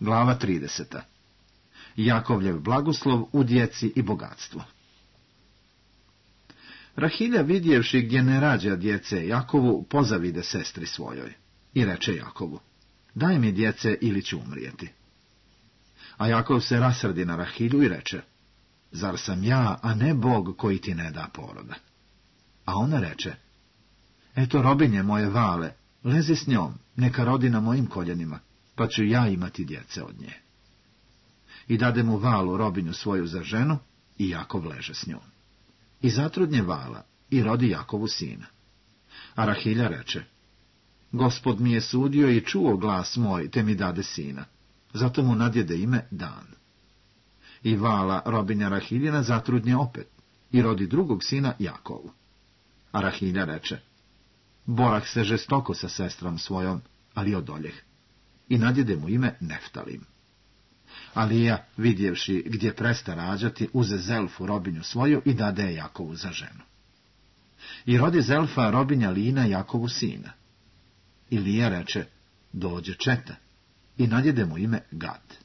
Glava 30. Jakovljev blagoslov u djeci i bogatstvu. Rahilja, vidjevši gdje ne rađa djece Jakovu, pozavide sestri svojoj i reče Jakovu: daj mi djece ili ću umrijeti. A Jakov se rasrdi na Rahilju i reče: zar sam ja, a ne Bog koji ti ne da poroda? A ona reče: eto robinje moje Vale, lezi s njom, neka rodi na mojim koljenima, pa ću ja imati djece od nje. I dade mu Valu robinju svoju za ženu, i Jakov leže s njom. I zatrudnje Vala, i rodi Jakovu sina. A Rahilja reče: Gospod mi je sudio i čuo glas moj, te mi dade sina. Zato mu nadjede ime Dan. I Vala, robinja Rahiljina, zatrudnje opet, i rodi drugog sina Jakovu. A Rahilja reče: borah se žestoko sa sestrom svojom, ali odoljeh. I nadjede mu ime Neftalim. A Lija, vidjevši gdje presta rađati, uze Zelfu, robinju svoju, i dade je Jakovu za ženu. I rodi Zelfa, robinja Lina, Jakovu sina. I Lija reče: dođe četa. I nadjede mu ime Gad.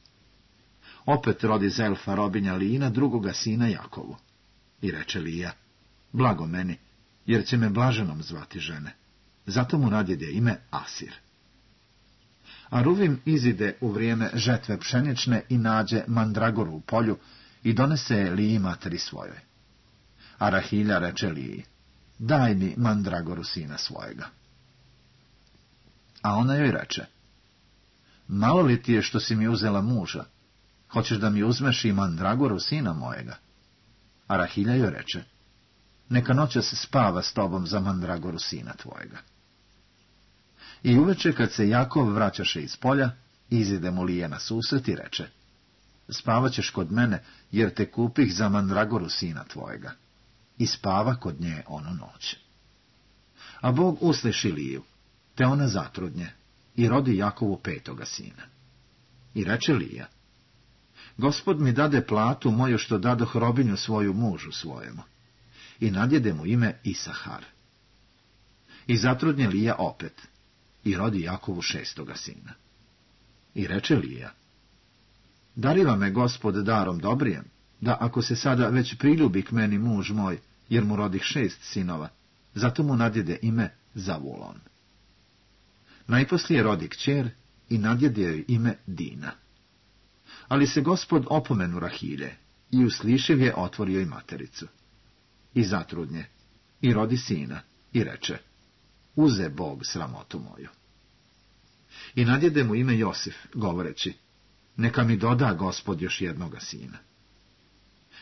Opet rodi Zelfa, robinja Lina, drugoga sina Jakovu. I reče Lija: blago meni, jer će me blaženom zvati žene. Zato mu nadjede ime Asir. A Ruvim izide u vrijeme žetve pšenične i nađe mandragoru u polju i donese je Liji materi svojoj. A Rahilja reče Liji: daj mi mandragoru sina svojega. A ona joj reče: malo li ti je što si mi uzela muža? Hoćeš da mi uzmeš i mandragoru sina mojega? A Rahilja joj reče: neka noćas spava s tobom za mandragoru sina tvojega. I uveče, kad se Jakov vraćaše iz polja, izide mu Lija na susret i reče: spavaćeš kod mene, jer te kupih za mandragoru sina tvojega. I spava kod nje onu noć. A Bog usliši Liju, te ona zatrudnje, i rodi Jakovu 5. sina. I reče Lija: Gospod mi dade platu moju što dadoh robinju svoju mužu svojemu. I nadjede mu ime Isahar. I zatrudnje Lija opet, i rodi Jakovu 6. sina. I reče Lija: dariva me Gospod darom dobrijem, da ako se sada već priljubi k meni muž moj, jer mu rodih 6 sinova, zato mu nadjede ime Zavulon. Najposlije rodi kćer i nadjede joj ime Dina. Ali se Gospod opomenu Rahilje i uslišev je otvorio i matericu. I zatrudnje, i rodi sina, i reče: uze Bog sramotu moju. I nadjede mu ime Josif, govoreći: neka mi doda Gospod još jednoga sina.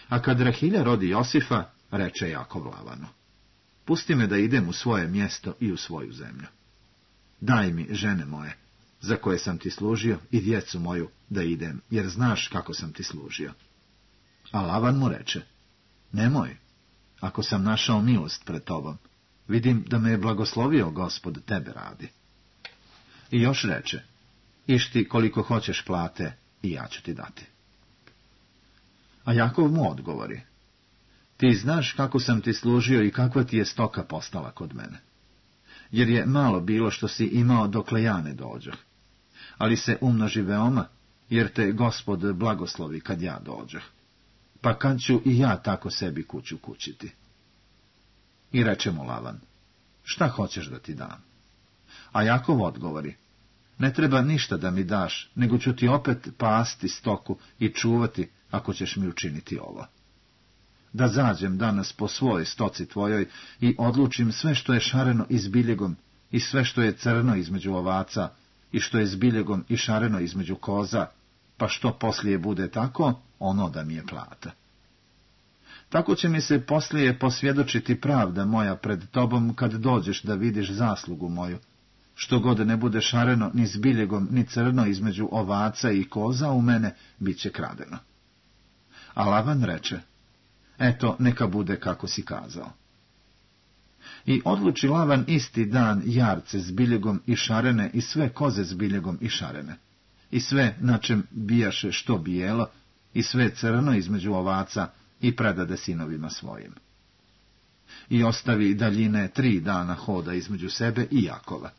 A kad Rahilja rodi Josifa, reče Jakov Lavanu: pusti me da idem u svoje mjesto i u svoju zemlju. Daj mi žene moje, za koje sam ti služio, i djecu moju, da idem, jer znaš kako sam ti služio. A Lavan mu reče: nemoj, ako sam našao milost pred tobom, vidim da me je blagoslovio Gospod tebe radi. I još reče: iš ti koliko hoćeš plate, i ja ću ti dati. A Jakov mu odgovori: ti znaš kako sam ti služio i kakva ti je stoka postala kod mene. Jer je malo bilo što si imao dokle ja ne dođoh. Ali se umnoži veoma, jer te Gospod blagoslovi kad ja dođoh. Pa kad ću i ja tako sebi kuću kućiti? I reče mu Lavan: šta hoćeš da ti dam? A Jakov odgovori: ne treba ništa da mi daš, nego ću ti opet pasti stoku i čuvati, ako ćeš mi učiniti ovo. Da zađem danas po svojoj stoci tvojoj i odlučim sve što je šareno i s biljegom, i sve što je crno između ovaca, i što je s biljegom i šareno između koza, pa što poslije bude tako, ono da mi je plata. Tako će mi se poslije posvjedočiti pravda moja pred tobom, kad dođeš da vidiš zaslugu moju, što god ne bude šareno ni s biljegom ni crno između ovaca i koza u mene, bit će kradeno. A Lavan reče: eto, neka bude kako si kazao. I odluči Lavan isti dan jarce s biljegom i šarene i sve koze s biljegom i šarene, i sve na čem bijaše što bijelo, i sve crno između ovaca, i predade sinovima svojim. I ostavi daljine 3 dana hoda između sebe i Jakova.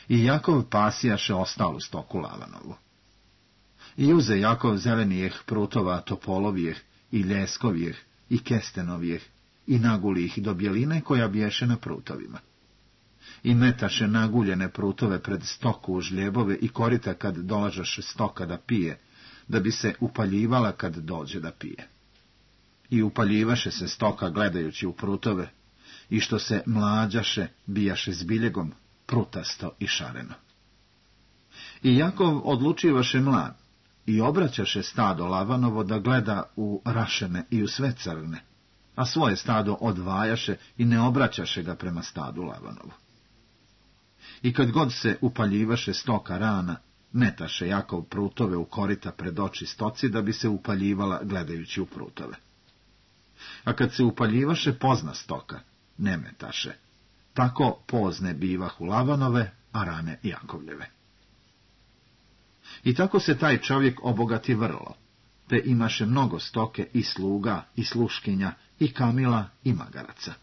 I Jakov pasijaše ostalu stoku Lavanovu. I uze Jakov zelenijeh prutova topolovijeh i ljeskovijeh i kestenovijeh i naguli ih do bjeline koja bješe na prutovima. I metaše naguljene prutove pred stoku u žljebove i korita kad dolažaše stoka da pije, da bi se upaljivala kad dođe da pije. I upaljivaše se stoka gledajući u prutove, i što se mlađaše, bijaše s biljegom, prutasto i šareno. I Jakov odlučivaše mlad, i obraćaše stado Lavanovo da gleda u rašene i u sve crne, a svoje stado odvajaše i ne obraćaše ga prema stadu Lavanovu. I kad god se upaljivaše stoka rana, metaše Jakov prutove u korita pred oči stoci da bi se upaljivala gledajući u prutove. A kad se upaljivaše pozna stoka, ne metaše. Tako pozne bivahu Lavanove, a rane Jakovljeve. I tako se taj čovjek obogati vrlo, te imaše mnogo stoke i sluga i sluškinja i kamila i magaraca.